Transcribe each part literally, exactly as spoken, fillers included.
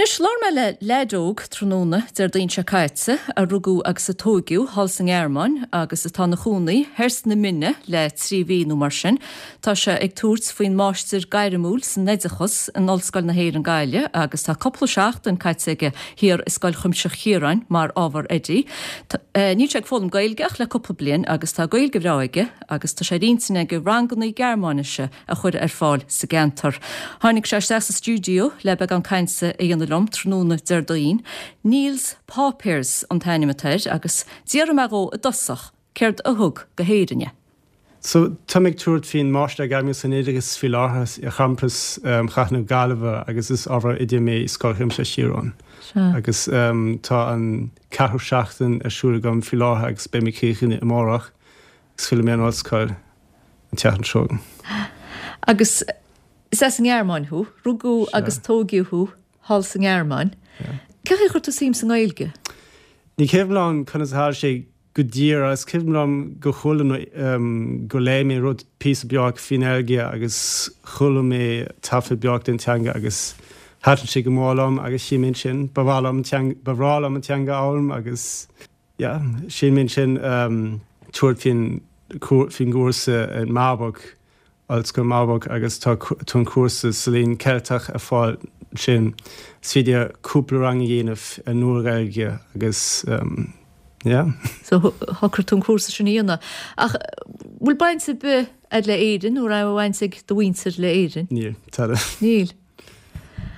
Anois, labhair mé le leaid óg tráthnóna Déardaoin seo caite, a rugadh agus a tóigeadh thall sa nGearmáin agus atá ina chónaí thoir sna Mine le trí mhí nó mar sin. Tá sé ag tabhairt faoin Máistir Gairmiúil san Oideachas in Ollscoil na hÉireann Gaillimh agus tá cúpla seachtain caite aige thiar i Scoil Chuimsitheach Chiaráin mar ábhar oidí. Níl sé ag foghlaim Gaeilge ach le cúpla bliain agus tá Gaeilge bhreá aige agus tá sé ar intinn aige ranganna Gearmáinise a chur ar fáil sa gceantar. Tháinig sé isteach sa stiúideo le beagán cainte a dhéanamh liom tráthnóna Déardaoin. Niels Paupers an t-ainm atá air agus d'fhiafraigh mé dhó i dtosach céard a thug go hÉirinn é. So tá mé ag tabhairt faoin Máistir Gairmiúil san Oideachas faoi láthair ar champas Chathair na Gaillimhe agus is ábhar oide mé i Scoil Chuimsitheach Chiaráin. Agus tá an ceathrú seachtain ar siúl agam faoi láthair agus beidh mé críochnaithe amárach agus fillfidh mé ar an ollscoil an tseachtain seo chugainn. Agus is as an nGearmáin thú, rugadh agus tóigeadh thú thall sa nGearmáin. Cén chaoi a chuir tú suim sa nGaeilge? Ní cuimhin liom conas a tharla sé go díreach, is cuimhin liom go chuala nó go léigh mé rud píosa beag faoin nGaeilge agus chuala mé taifead beag den teanga agus thaitin sé go mór liom agus shíl mé ansin ba mhaith liom an ba bhreá liom an teanga a fhoghlaim agus yeah, shíl mé ansin tabhairt faoin faoin gcúrsa in Marburg, Ollscoil Marburg agus tá tá an cúrsa sa Léann Ceilteach ar fáil ansin. Is féidir cúpla rang a dhéanamh ar Nua-Ghaeilge agus yeah. So shocraigh tú an cúrsa sin a dhéanamh. Ach bhfuil baint ar bith agat le Éirinn nó raibh baint ag do mhuintir le Éirinn? Níl, tada. Níl.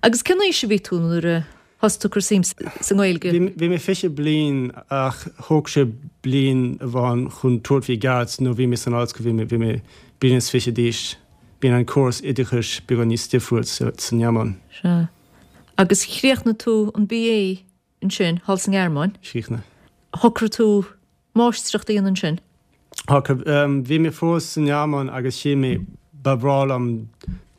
Agus cén aois a bhí tú nuair a thosaigh tú ag cur suim sa nGaeilge? Bhí mé fiche bliain ach thóg sé bliain amháin chun tabhairt faoi cheart nó bhí mé san ollscoil bhí mé bhí mé bliain is fiche d'aois. Bíonn an córas oideachais beagán níos difriúil sa nGearmáin. Sea. Agus chríochnaigh tú an BA ansin, thall sa nGearmáin? Chríochnaigh. Shocraigh tú máistreacht a dhéanamh ansin? Shocraigh. Bhí mé fós sa nGearmáin agus shíl mé ba bhreá liom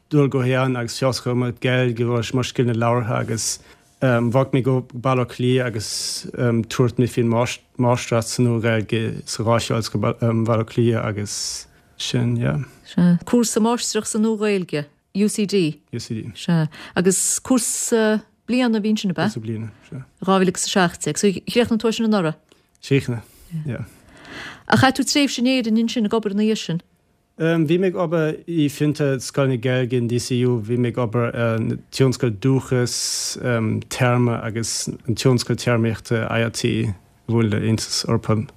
dul go hÉirinn agus feabhas a chur ar mo Ghaeilge agus mo scileanna labhartha agus bhog mé go Baile Átha Cliath agus tabhairt mé faoin máistreacht sa Nua-Ghaeilge sa Gháis Ollscoil Baile Átha Cliath agus sin, yeah. Sea. Cúrsa máistreacht sa Nua-Ghaeilge, UCD? UCD. Sea. Agus cúrsa bliana a bhí ansin, ab ea? Cúrsa bliana, sea. Dhá mhíle agus a seacht déag. So chríochnaigh tú é sin anuraidh? Chríochnaigh, yeah. Ach chaith tú tréimhse in Éirinn ansin ag obair ina dhiaidh sin? Bhí mé ag obair i bhfiontar Scoil na Gaeilge in DCU, bhí mé ag obair ar an tionscal Dúchas, Téarma agus an tionscal téarmaíochta IRT a bhfuil le Aontas Eorpach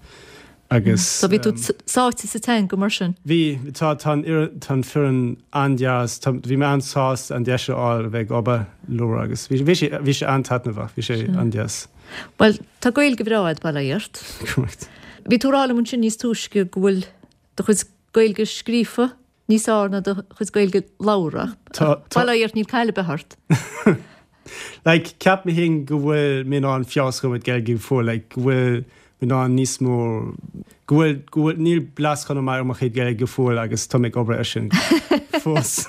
agus. So bhí tú sáite sa teanga mar sin? Bhí, tá tá an tá an foireann an-deas, tá bhí mé an-sásta an deis a fháil a bheith ag obair leo agus bhí bhí sé bhí sé an-taitneamhach, bhí sé an-deas. Bhuel, tá Gaeilge bhreá agat, bail ó Dhia ort. Bhí tú ag rá liom ansin níos túisce go bhfuil do chuid Gaeilge scríofa níos fearr ná do chuid Gaeilge labhartha. Tá, tá. Bail ó Dhia ort, níl caill ar bith ort. Like, ceap mé féin go bhfuil mé in ann feabhas a chur ar mo Ghaeilge go fóill, like, go bhfuil mé in ann níos mó, go bhfuil, go bhfuil, níl blas chomh maith ar mo chuid Gaeilge go fóill agus tá mé ag obair air sin fós.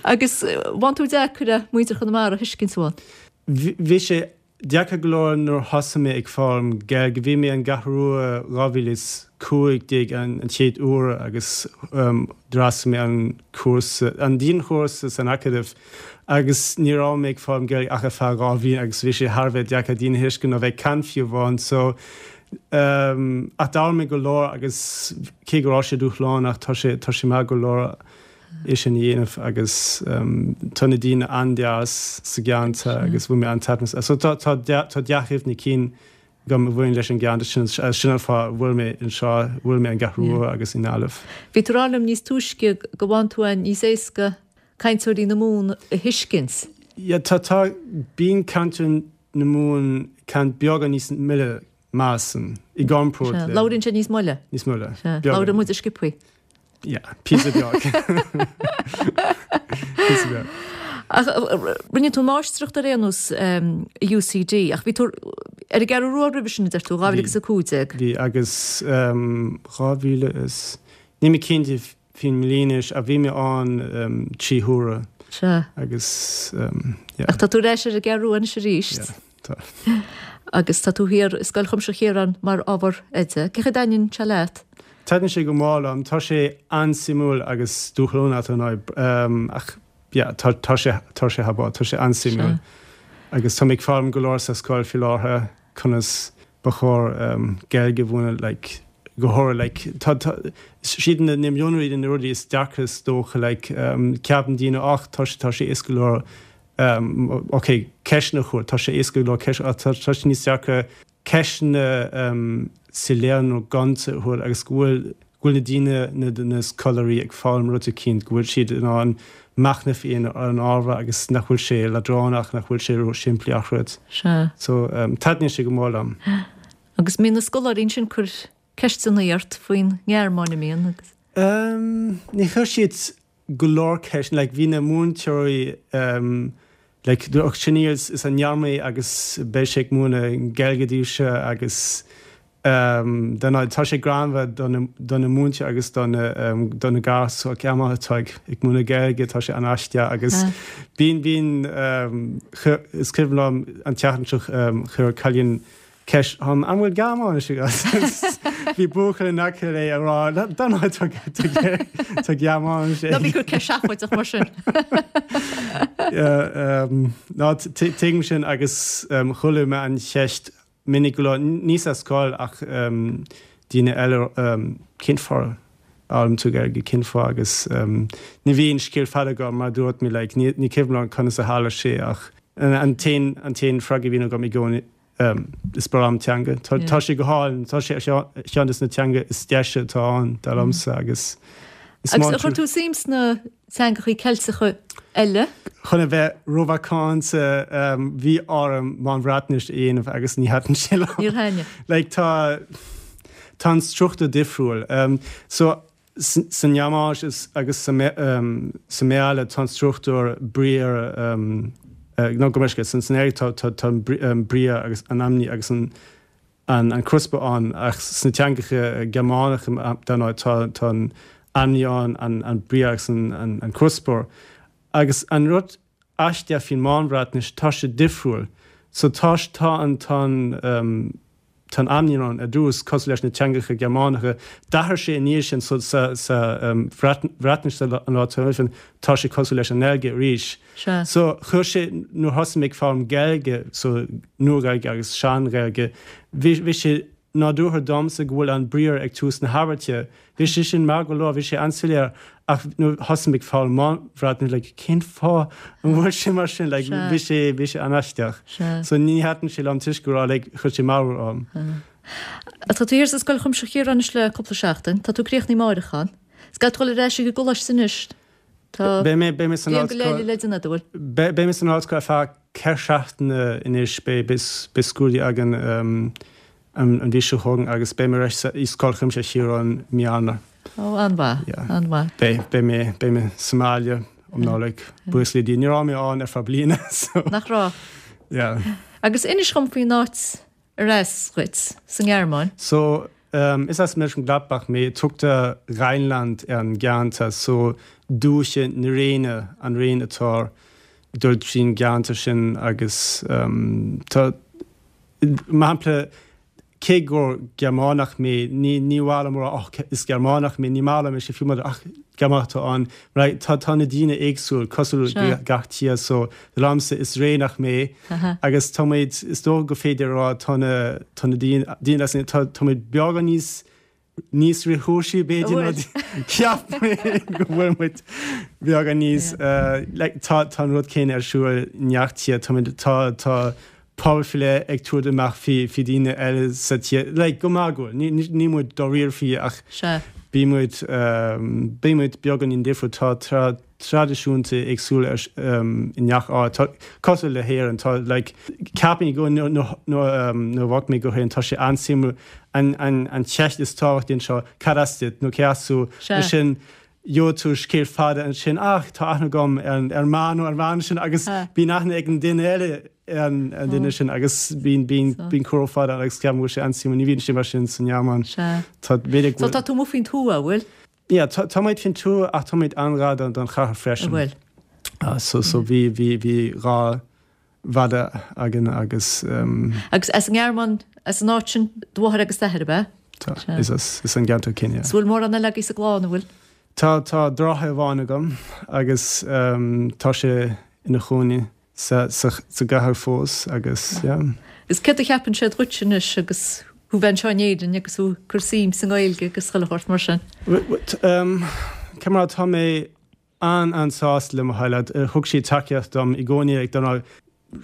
Agus bhain tú deacair é muintir Chonamara a thuiscint, an bhain? Bhí sé Deacair go leor nuair a thosaigh mé ag foghlaim Gaeilge. Bhí mé an gCeathrú Rua dhá mhíle is cúig déag an chéad uair agus d'fhreastail mé an cúrsa, an dianchúrsa san Acadamh agus ní raibh mé ag foghlaim Gaeilge ach ar feadh dhá bhliain agus bhí sé thar a bheith deacair daoine a thuiscint nó bheith ag caint fiú amháin so ach d'fhoghlaim mé go leor agus cé go raibh sé dúshlánach tá sé tá sé maith go leor. é sin a dhéanamh agus tá na daoine an-deas sa gceantar agus bhain mé an-taitneamh as. So tá tá tá dea-chuimhní cinn agam a bhaineann leis an gceantar sin, sin an fáth a bhfuil mé anseo, a bhfuil mé an gCeathrú Rua agus i nGaillimh. Bhí tú ag rá liom níos túisce go bhfaigheann tú é níos éasca cainteoirí na Mumhan a thuiscint. Yeah, tá tá bíonn cainteoirí na Mumhan caint beagán níos moille measaim i gcomparáid le. Labhraíonn siad níos moille. Níos moille. Labhraíonn muid sciobthaí. Yeah, píosa beag. Píosa beag. Ach rinne tú máistreacht ar aon nós i UCD, ach bhí tú ar an gCeathrú Rua roimhe sin, a deir tú, dhá mhíle agus a cúig déag. Bhí, agus dhá mhíle is, níl mé cinnte faoin mbliain anois, ach bhí mé ann trí huaire. Sea. Agus, yeah. Ach tá tú ar ais ar an gCeathrú Rua anois arís. Yeah, tá. Agus tá tú thiar i Scoil Chuimsitheach Chiaráin mar ábhar oide. Cén chaoi a dtaitníonn sé leat? Taitníonn sé go mór liom. Tá sé an-suimiúil agus dúshlánach ar ndóigh, ach yeah, tá tá sé tá sé thar tá sé an-suimiúil. Agus tá mé ag foghlaim go leor sa scoil faoi láthair conas ba chóir um, Gaeilge a mhúineadh like, go háirithe like, tá tá siad na na mionrudaí na rudaí is deacra is dócha like, um, ceapann daoine ach tá sé tá sé éasca go leor um, ok ceisteanna a chur tá sé éasca go leor ceist tá tá sé níos deacra ceisteanna um, soiléir nó gonta a chur agus go bhfuil go bhfuil na daoine na na scoláirí ag foghlaim rud eicínt go bhfuil siad in ann machnamh ar an ábhar agus nach bhfuil sé leadránach nach bhfuil sé ró simplí ach rud. Sea. So um, taitníonn sé go mór liom. Agus mbíonn na scoláirí sin ag cur ceisteanna ort faoin nGearmáin an mbíonn agus. Um, ní chuir siad go leor ceist, like, bhí na múinteoirí um, like, sin is is an nGearmáin agus beidh sé ag múineadh Gaeilge daoibhse agus um, tá sé greannmhar do na múinteoirí agus do um, do na gasúir ceama atá ag ag múineadh Gaeilge tá sé an-aisteach agus bíonn bíonn um, is cuimhin liom an tseachtain seo um, chuir cailín ceist an an bhfuil Gearmáinis Bhí buachaill in aice léi ag rá tá Gearmáinis Ná bí ag cur ceist seafóideach mar sin. Ná tuigim sin agus um, chuala mé an cheist minic go ní sa scoil ach um, daoine eile um, cén fáth a bhfoghlaimíonn tú Gaeilge cén fáth agus um, ní bhíonn scéal fada agam mar dúirt mé like, ní, ní cuimhin liom conas a tharla sé ach an, an t-aon an t-aon freagra a bhíonn agam i gcónaí um, is breá liom teanga. Tá, Yeah. tá sé go hálainn tá sé ceann des na teanga is deise atá ann dar liomsa agus is Agus maith chuir tú suim sna teangachaí Ceilteacha eile? Chun a bheith rómhacánta um, bhí orm Meán-Bhreatnais a dhéanamh agus ní thaitin sé liom. Níor thaitin. Like tá tá an struchtúr difriúil. Um, so san nGearmáinis is agus sa um, sa mBéarla tá an struchtúr briathar um, uh, nó go meisce san san tá tá tá um, briathar agus an ainmní agus an an an cuspóir ann ach sna teangacha Gearmánacha dan tá tá an ainmní ann an an briathar agus an an, an cuspóir. Agus an rud aisteach faoin Meán-Bhreatnais tá sé difriúil. So tá tá an tá um, tá ainmní ann ar dtús cosúil leis na teangacha Gearmánacha, D'athraigh sé i ndiaidh sin so sa sa um, Bhreatnais an lá sin tá sé cosúil leis an nGaeilge arís. Sea. So chuir sé nuair a thosaigh mé ag foghlaim Gaeilge so Nua-Ghaeilge agus Sean-Ghaeilge, bhí bhí sé nádúrtha domsa go bhfuil an briathar ag tús na habairte. Bhí sé sin mar go leor bhí sé an-soiléir ach nuair a thosaigh mé ag foghlaim Meán-Bhreatnais like, cén fáth an bhfuil sé mar sin like, Sea. bhí sé bhí sé an-aisteach. Sea. So ní thaitin sé liom toisc go raibh like, chuir sé meabhair orm. Tá tú thiar sa Scoil Chuimsitheach Chiaráin anois le cúpla seachtain, Tá tú críochnaithe amárach. Is gá dul ar ais ag an gcoláiste anois. Tá Beidh mé beidh mé san bliain go ollscoil leith le déanamh bhfuil. Beidh mé san ollscoil ar feadh ceithre seachtaine anois beidh beidh scrúdú againn um, an an mhí seo chugainn agus beidh mé ar ais i Scoil Chuimsitheach Chiaráin mí Eanáir. Ó an-mhaith Yeah. an-mhaith. Beidh beidh mé beidh mé sa mbaile um Nollaig buíochas le Dia ní raibh mé ann ar feadh bliana so Nach raibh. yeah. Agus inis dom faoin áit ar as dhuit sa nGearmáin. So um, is as Mönchengladbach mé tugtar Rheinland ar an gceantar so dúiche na Réine an Réin atá ag dul trín gceantar sin agus um, tá mar shampla cé gur Gearmánach mé ní ní maith liom ach is Gearmánach mé ní maith liom sé fiú ach Gearmánach tá an right, tá tá na daoine éagsúil cosúil Sea. gach tír so liomsa is Réineach mé Aha. agus táimid is dóigh go féidir rá tá na tá na daoine daoine as tá táimid beagán níos níos réchúisí b'fhéidir Bhfuil. ceap go bhfuil muid beagán níos uh, like, tá tá an rud céanna ar siúl i ngach tír táimid tá tá pobal faoi leith ag tabhairt amach faoi faoi daoine eile sa tír like, go magúil ní ní ní muid dáiríre faoi ach Sea. bí muid um, bí muid beagán difriúil tá tra traidisiúnta éagsúla ar um, i ngach áit Tá- cosúil le hÉirinn tá like, ceapaim go nó nó um, nó bhog mé go hÉirinn tá sé an-suimiúil an an an cheist is tábhachtaí seo cad as duit nó cé as tú Sea. sin gheobhaidh tú scéal fada ansin ach tá aithne agam ar an ar man nó ar bhean sin agus Ha. bíonn aithne ag an duine eile ar an an duine sin agus bíonn bíonn So. bíonn comhrá fada agus ceapaim go bhfuil sé an-suimiúil ní bhíonn sé mar sin san Ghearmáin Sea. Tá b'fhéidir So tá tú amuigh faoin tuath bhfuil? Ja, tá tá muid faoin tuath ach táimid an-ghar don don chathair freisin. Bhfuil. Ah, so so bhí bhí bhí dhá mhadadh againn agus um, Agus as an nGearmáin as an áit sin do mháthair agus d'athair ab ea? tá Sea. is as is an gceantar céanna. Is bhfuil mórán eile agaibh sa gclann bhfuil? Tá tá deartháir amháin agam agus um, tá sé ina chónaí sa, sa, sa gcathair fós agus yeah. Is céard a cheapann sé dhuit anois agus thú bheith anseo in Éirinn agus thú ag cur suim sa nGaeilge agus chuile shórt mar sin. Um, Cemar tá mé an an-sásta le mo theaghlach thug siad tacaíocht dom i gcónaí ag dona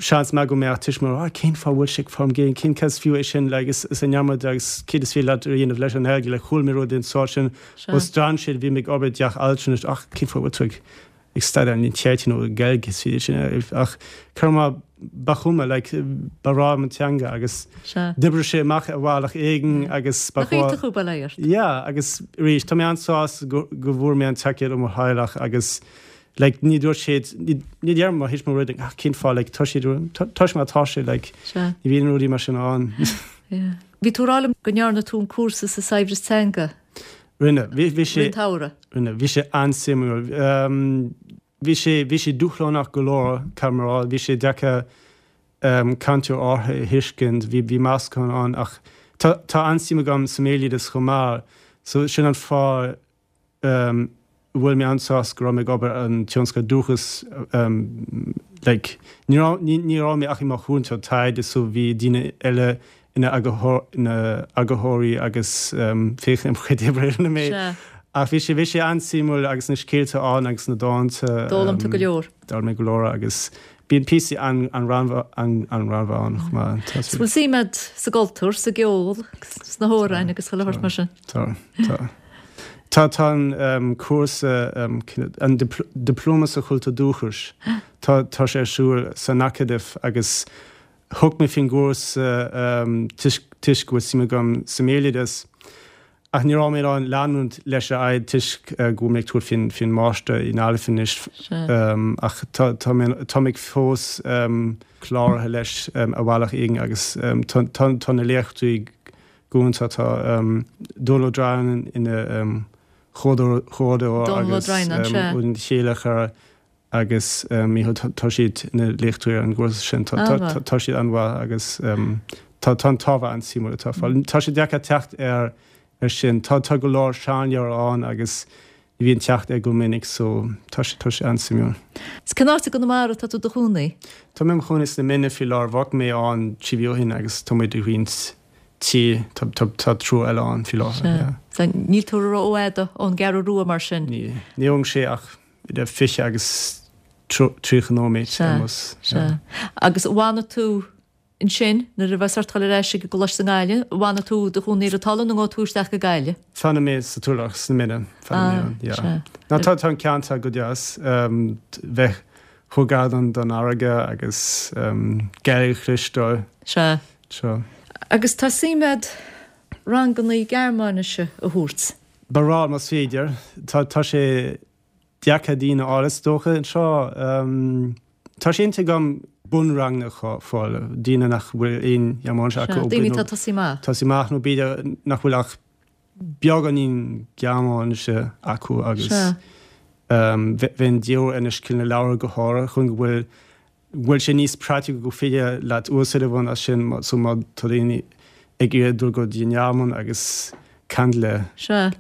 seans maith go mbeadh tuismitheoir ah, cén fáth bhfuil sé ag foghlaim Gaeilge cén cás fiú é sin le is is an neamar agus céard is féidir leat a dhéanamh leis an Ghaeilge le chuala mé rud den sórt sin ó strainséir bhí mé ag obair i dteach altranais ach cén fáth bhfuil tú ag ag staidéar an teach nó Gaeilge is féidir sin ach cur má ba chuma like ba rá an teanga agus d'oibrigh sé amach ar bhealach éigin agus ba chu Ja agus arís tá mé an-sásta go bhfuair mé an tacaíocht ó mo theaghlach agus like ní dúirt siad ní deir má his rud ach cén fáth like tá siad tá má tá sé like ní bhíonn rudaí mar sin ann. Bhí tú ag rá liom go ndearna tú an cúrsa sa saibhreas teanga. Rinne bhí sé taura. Rinne bhí sé an-suimiúil. Um, bhí sé bhí sé dúshlánach go leor camará, bhí sé deacair um, cainteoir áirithe a thuiscint, bhí bhí meascán ann ach tá tá an-suim agam sa mbéaloideas chomh maith, so sin an fáth um, bhfuil mé an-sásta go raibh mé ag obair an tionscadal Dúchas um, like, ní ní raibh mé ach i mo chúntóir taighde so bhí daoine eile ina eagarthóirí agus um, féach am chuid oibre mé. Ach bhí sé bhí sé an-suimiúil agus na scéalta ann agus na dánta. D'fhoghlaim tú go leor. D'fhoghlaim mé go leor agus bíonn píosaí an an an an rannta ann chomh maith. Bhfuil suim agat sa gcultúr, sa gceol, sna hamhráin agus chuile shórt mar sin. Tá tá. Tá tá an um, cúrsa um, an diploma sa chultúr dúchais Tá tá sé ar siúl san Acadamh agus thug mé faoin gcúrsa um, toisc go bhfuil suim agam sa mbéaloideas. Ach ní raibh mé an leanúint leis a aghaidh toisc uh, go mé tú faoin faoin máistir i nGaillimh anois um, ach tá tá mé fós um, cláraithe leis um, ar bhealach éigin agus um, tá na léachtóirí go hiontach tá um, Dónal Ó Droighneáin ina um, chomhordaitheoir agus um, chéile chara agus tá siad na léachtóirí an gcúrsa sin tá siad an-mhaith agus tá an t-ábhar an-suimiúil atá fáil. Tá sé deacair teacht ar ar sin tá tá go leor seanleabhar ann agus ní bhíonn teacht ar go minic so tá sé tá sé an-suimiúil. Is cén áit i gConamara tá tú i do chónaí? Tá mé im chónaí sna Minna faoi láthair bhog mé ann trí mhí ó shin agus tá muid ag roinnt tí tá triúr eile ann faoi láthair. Níl tú rófhada ón gCeathrú Rua mar sin? Ní ní thógann sé ach idir fiche agus tríocha nóiméad ar bhus. Agus an bhfanfaidh tú ansin nuair a bheas ort dul ar ais ag an gcoláiste i nGaillimh, an bhfanfaidh tú i do chónaí ar an talamh nó an ngabhfaidh tú isteach go Gaillimh? Fanfaidh mé sa Tulach sna Minna Ná tá tá an ceantar go deas bheith chomh gar don don fharraige agus Gaeilge a chloisteáil. Sea. Seo. Agus tá suim agat ranganna Gearmáinise a thabhairt? Ba bhreá más féidir. Tá tá sé deacair daoine a fháil is dócha anseo. Tá sé inti agam bunranganna a fháil, daoine nach bhfuil aon Ghearmáinis acu. Daoine atá ag tosú amach. Tosú amach nó b'fhéidir nach bhfuil ach beagáinín Gearmáinise acu agus bheinn de dhíobháil anois cineál na leabhair go háirithe chun go bhfuil bhfuil sé níos praiticiúil go féidir leat úsáid a bhaint as sin so má tá daoine ag iarraidh dul go dtí an Ghearmáin agus caint le Sea.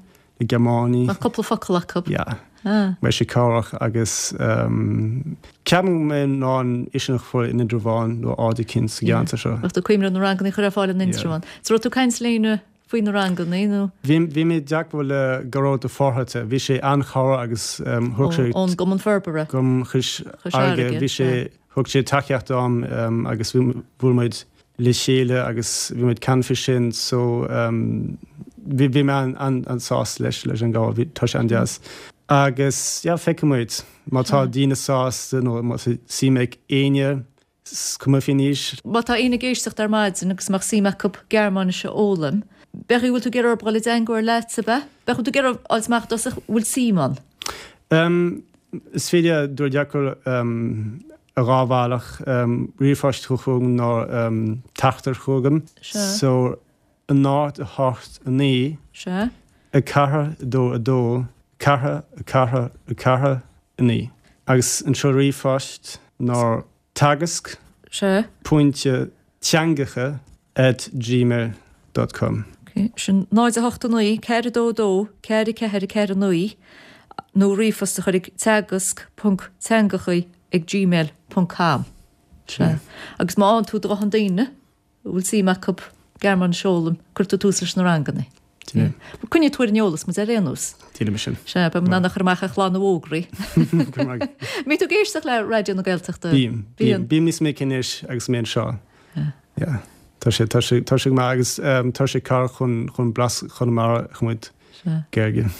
le Gearmánaigh. Bheadh cúpla focal acu. Yeah. Ah. Beidh sé cabhrach agus ceapaim go mbeidh in ann é sin a chur in Indreabhán nó áit eicínt sa gceantar seo. Bheadh tú ag cuimhneamh na ranganna a chur ar fáil in Indreabhán. So raibh tú ag caint le éinne faoi na ranganna nó? Bhí bhí mé i dteagmháil le Gearóid Ó Fátharta, bhí sé an-chabhrach agus thug sé. Ón gCumann Forbartha. Cumann Chois Fharraige. Bhí sé thug sé tacaíocht dom agus bhuail muid le chéile agus bhí muid ag caint faoi sin so bhí bhí mé an-sásta leis leis an gcabhair, bhí tá sé an-deas. Agus yeah feicfidh muid má tá daoine sásta nó má tá suim ag éinne is cuma faoin aois. Má tá éinne ag éisteacht ar maidin agus má tá suim acu Gearmáinis a fhoghlaim, bheadh bhfuil tú ag iarraidh orthu dul i dteagmháil leat ab ea? Bheadh tú ag iarraidh fháil amach i dtosach bhfuil suim ann? Um, is féidir dul i dteagmháil um, ar dhá bhealach, um, ríomhphost chugam nó um, teachtaireacht chugam. Sea. So náid a hocht a naoi. Sea. A ceathair a dó a dó ceathair a ceathair a ceathair a naoi. Agus an seoladh ríomhphoist ná teagasc. Sea. Pointe teangacha at gmail dot com. Ok, sin náid a hocht a naoi, ceathair a dó a dó, ceathair a ceathair a ceathair a naoi nó ríomhphost a chur ag teagasc ponc teangacha ag gmail ponc com. Sea. Agus má fhaigheann tú do dhóthain daoine a bhfuil suim acu Gearmáinis a fhoghlaim, cuirfidh tú tús leis na ranganna. Sea. Coinneoidh tú ar an eolas muid ar aon nós. Déanfaidh mé sin. Sea, beidh muid in ann a chur amach ar chlár na bhfógraí. Go raibh maith agat. Mbíonn tú ag éisteacht le Raidió na Gaeltachta? Bím. Bím. Bím níos minice anois agus mé anseo. Yeah. Tá sé, tá sé, tá sé go maith agus tá sé cabhrach chun, chun blas Chonamara a choimeád. Gaeilge.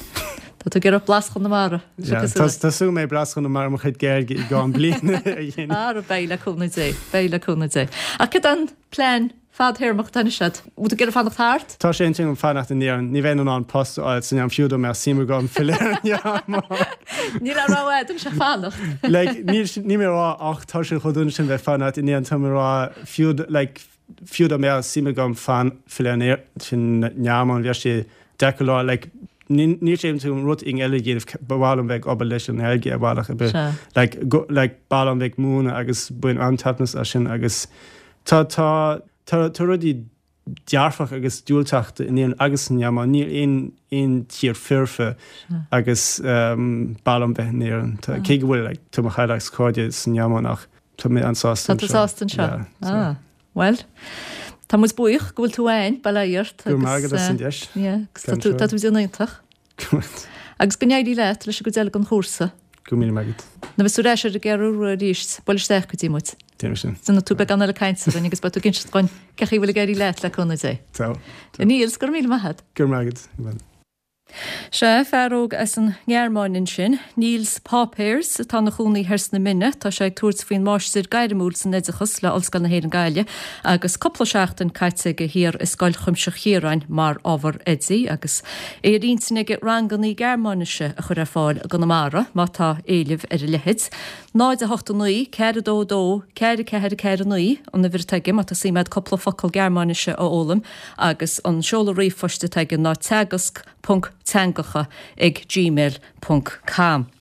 Tá tú ag iarraidh blas Chonamara. Tá súil mé blas Chonamara mo chuid Gaeilge i gceann bliana a dhéanamh. Ara beidh le cúnamh Dé, beidh le cúnamh Dé. Ach cad é an plean fadthéarmach atá anois agat? Bhfuil tú ag iarraidh fanacht thart? Tá sé ar intinn agam fanacht in Éirinn. Ní bheinn in ann post a fháil san am fiú dá mbeadh suim agam filleadh ar an nGearmáin. Níl aon rogha agat ach fanacht. Like, níl níl mé ag rá ach tá sé chomh dona sin bheith fanacht in Éirinn, tá mé ag rá fiú like fiú dá mbeadh suim agam fan filleadh ar an nGearmáin bheadh sé deacair lá like níl sé tú rud éigin eile a dhéanamh ba mhaith liom bheith ag obair leis an nGaeilge ar bhealach ar bith. Like go like ba mhaith liom bheith ag múineadh agus bain an-taitneamh as sin agus tá tá tá tá rudaí dearfach agus diúltach in Éirinn agus san nGearmáin níl aon aon tír foirfe agus um, ba mhaith liom bheith in Éirinn. Tá cé go bhfuil like tá mo theaghlach is cairde san nGearmáin ach tá mé an-sásta Tá tú sásta anseo? Yeah, so. Ah, well, tá muid buíoch go bhfuil tú againn, bail ó Dhia ort. Go raibh maith agat as an deis. Yeah, agus tá tú tá tú ag déanamh iontach. Agus go n-éirí leat leis an gcuid eile den chúrsa. Go míle maith agat. Nuair a bheas tú ar ais ar an gCeathrú Rua arís, buail isteach go dtí muid. Déanfaidh sin. Déanfaidh tú beagán eile cainte againn agus beidh tú ag inseacht dhúinn cén chaoi a bhfuil ag éirí leat le cúnamh Dé. Tá. Niels, go raibh míle maith agat. Go raibh maith agat. Sea, fear óg as an nGearmáin ansin, Niels Paupers, atá ina chónaí thoir sna Minna. Tá sé ag tabhairt faoin Máistir Gairmiúil san Oideachas le Ollscoil na hÉireann Gaillimh agus cúpla seachtain caite aige thiar i Scoil Chuimsitheach Chiaráin mar ábhar oidí agus é ar intinn aige ranganna Gearmáinise a chur ar fáil i gConamara má tá éileamh ar a leithéid. náid a hocht a naoi, ceathair a dó a dó, ceathair a ceathair a ceathair a naoi an uimhir atá aige má tá suim agat cúpla focal Gearmáinise a fhoghlaim agus an seoladh ríomhphoist atá aige ná teagasc ponc teangacha ag gmail ponc com.